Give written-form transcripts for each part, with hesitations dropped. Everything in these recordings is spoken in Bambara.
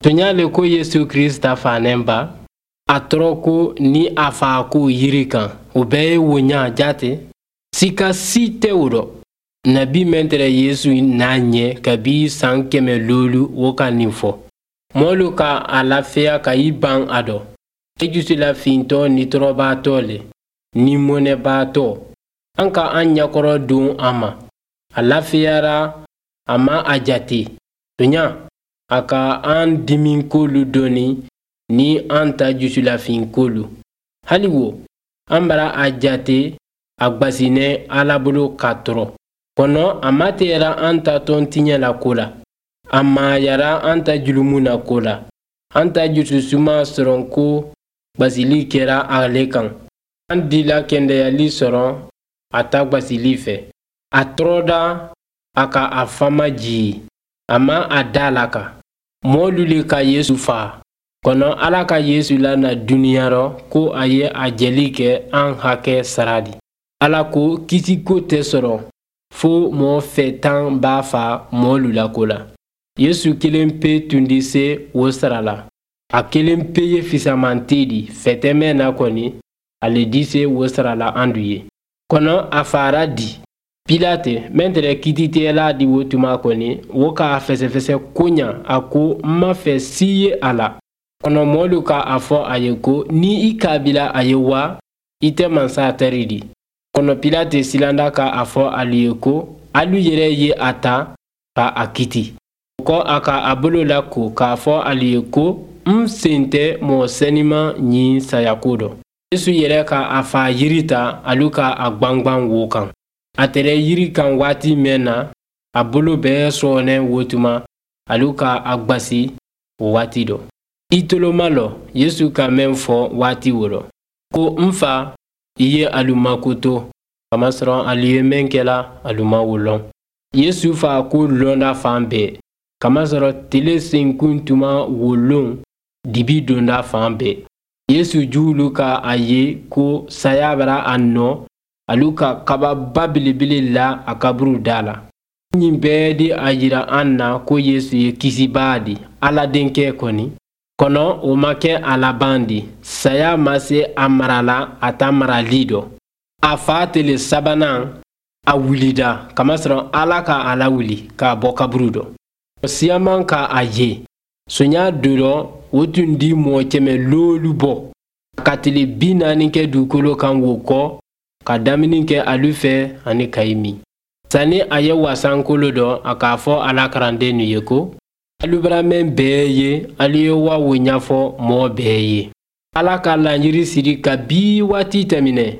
Tonya le ko Yesu Krista fanen ba, a tɔrɔ ko ni a fa ko yiri kan, o bɛɛ ye woɲa jate. Sika si tɛ o rɔ. Nabi mɛn tɛrɛ Yesu n'a ɲɛ kabi san 500 o ka nin fɔ. Mɔlu ka a lafiya ka i ban a dɔ. E jusula fintɔ ni tɔrɔbaatɔ le, ni mɔnɛbaatɔ. An ka an ɲɛkɔrɔ don a ma. A lafiyara, a ma a jate. Tonya, a ka an diminkolu dɔɔni ni an ta jusulafinkolu. Hali wo, an bara a jate a gbasinɛ Ala bolo ka tɔrɔ. Kɔnɔ a ma tɛra an ta tɔn tiɲɛ la ko la. A mayara an ta julumu na ko la. An ta jususuma sɔrɔ ko gbasili kɛra ale kan. An dila kɛndɛyali sɔrɔ a ta gbasili fɛ. A tɔrɔda a ka a fama jigi. A ma a da la kan. Mɔɔlu le ka Yesu faa. Kɔnɔ Ala ka Yesu lana duniya rɔ ko a ye a jɛli kɛ an hakɛ sara di. Ala ko kisiko tɛ sɔrɔ fo mɔɔ fɛ tan b'a fa mɔɔlu la ko la. Yesu kelen pe tun di se o sara la. A kelen pe ye fisamante di fɛtɛmɛ na kɔni ale di se o sara la an du ye. Kɔnɔ a fara di. Pilate mɛn tɛrɛ kiititigɛla di o tuma kɔni o k'a fɛsɛfɛsɛ koɲa a ko n ma fɛ si ye a la. Kɔnɔ mɔɔlu ka a fɔ a ye ko ni i k'a bila a ye wa i tɛ mansa tɛri di. Kɔnɔ Pilate silanda ka a fɔ alu ye ko alu yɛrɛ ye a ta ka a kiti. O kɔ a ka a bolo la ko k'a fɔ alu ye ko n sen tɛ mɔgɔ sɛniman ɲin sayako dɔ. Yesu yɛrɛ ka a fa yiri ta alu ka a gwangwan wo kan. A tɛrɛ yiri kan waati mɛn na, a bolo bɛɛ sɔɔnɛ wo tuma, alu ka a gwasi o waati dɔ. I toloma lɔ Yesu ka mɛn fɔ waati wo rɔ. Ko n fa, i ye alu makoto, kamasɔrɔ alu ye mɛn kɛla alu ma wo lɔn. Yesu fa ko lɔnda fan bɛɛ, kamasɔrɔ tele senkun tuma wo lon dibi donda fan bɛɛ. Yesu juwulu ka a ye ko saya bara a nɔ, alu ka kababa belebele la a kaburu da la. Nin bɛɛ di a yira an na ko Yesu ye kisibaa di, Ala denkɛ kɔni. Kɔnɔ o ma kɛ a laban di. Saya ma se a mara la a ta marali dɔ. A fa tele sabanan a wulida kamasɔrɔ Ala ka a lawuli k'a bɔ kaburu dɔ. Siyaman ka a ye. Sonya dɔ o tun di mɔgɔ 500 bɔ. Ka tile 40 kɛ dugukolo kan wo kɔ ka damini kɛ alu fɛ ani kayi min. Sani a ye wasankolo dɔ a k'a fɔ a la karandennu ye ko alu bara mɛn bɛɛ ye alu ye wa wo ɲɛfɔ mɔgɔ bɛɛ ye. Ala ka laɲiri siri ka bi waati tɛmɛnɛ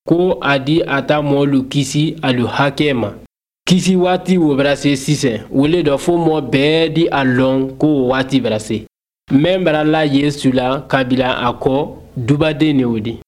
ko a di a ta mɔɔlu kisi alu hakɛ ma. Kisi waati wo bara se sisan wo le dɔ fo mɔgɔ bɛɛ di a lɔn ko o waati bara se. Mɛn bara la Yesu la kabila a kɔ dubaden ne o di.